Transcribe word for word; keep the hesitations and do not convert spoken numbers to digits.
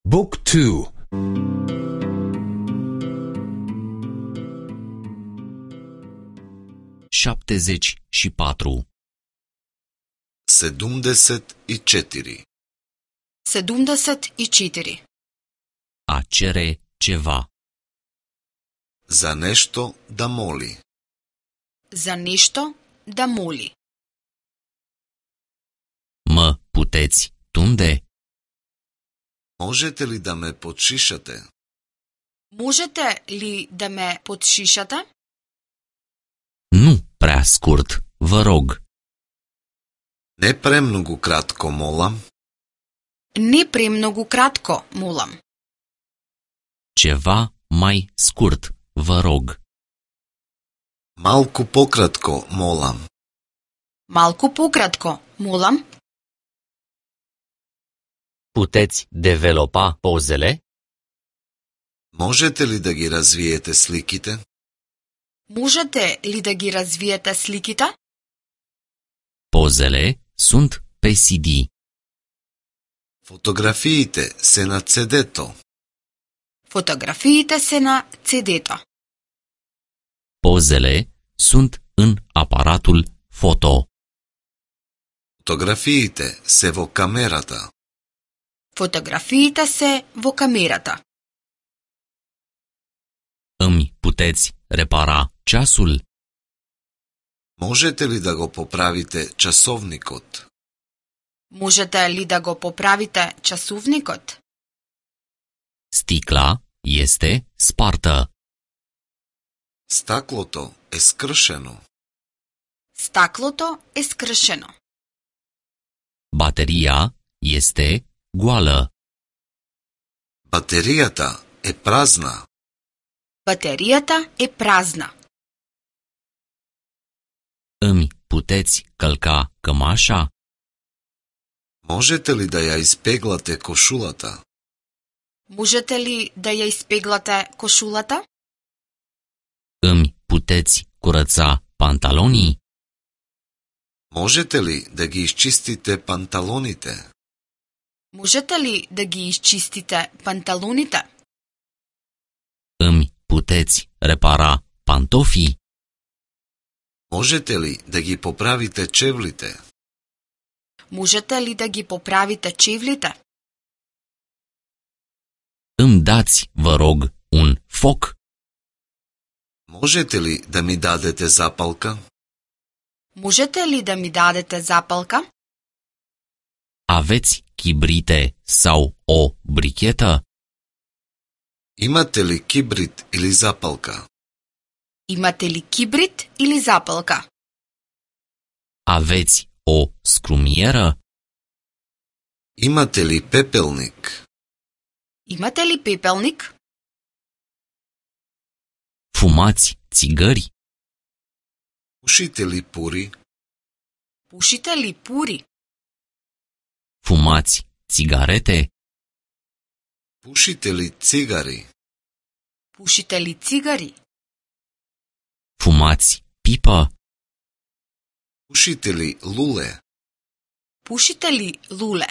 Book two. șaptezeci și patru. Sedumdeset i četiri. Sedumdeset i četiri. A cere ceva. Za nešto da moli. Za nešto da moli. Mă puteți tunde? Možete li da me podšišate? Можете ли да ме подшишате? Nu prea scurt, vă rog. Ne premnogu kratko, molam. Не премногу кратко, молам. Ceva mai scurt, vă rog. Malku pokratko, molam. Малку пократко, молам. Puteți developa pozele? Možete li da gi razvijete slikite? Можете ли да ги развиете сликите? Pozele sunt pe C D. Фотографиите се на цедето. Фотографиите се на цедето. Pozele sunt în aparatul foto. Фотографиите се во камерата. Фотографиите се во камерата. Îmi puteți repara ceasul? Можете ли да го поправите часовникот? Можете ли да го поправите часовникот? Sticla este spartă. Стаклото е скршено. Стаклото е скршено. Bateria este goală. Батеријата е празна. Батеријата е празна. Îmi puteți călca cămașa? Можете ли да ја испеглате кошулата? Можете ли да ја испеглате кошулата? Îmi puteți curăța pantalonii? Можете ли да ги изчистите панталоните? Можете ли да ги изчистите панталоните? Îmi puteți repara pantofii? Можете ли да ги поправите чевлите? Можете ли да ги поправите чевлите? Îmi dați, vă rog, un foc? Можете ли да ми дадете запалка? Можете ли да ми дадете запалка? Aveți chibrite sau o brichetă? Имате ли кибрит или запалка? Имате ли кибрит или запалка? Aveți o scrumieră? Имате ли пепелник? Имате ли пепелник? Fumați țigări? Пушите ли пури? Пушите ли пури? Fumați țigarete? Пушите ли цигари? Пушите ли цигари? Fumați pipă? Пушите ли луле? Пушите ли луле?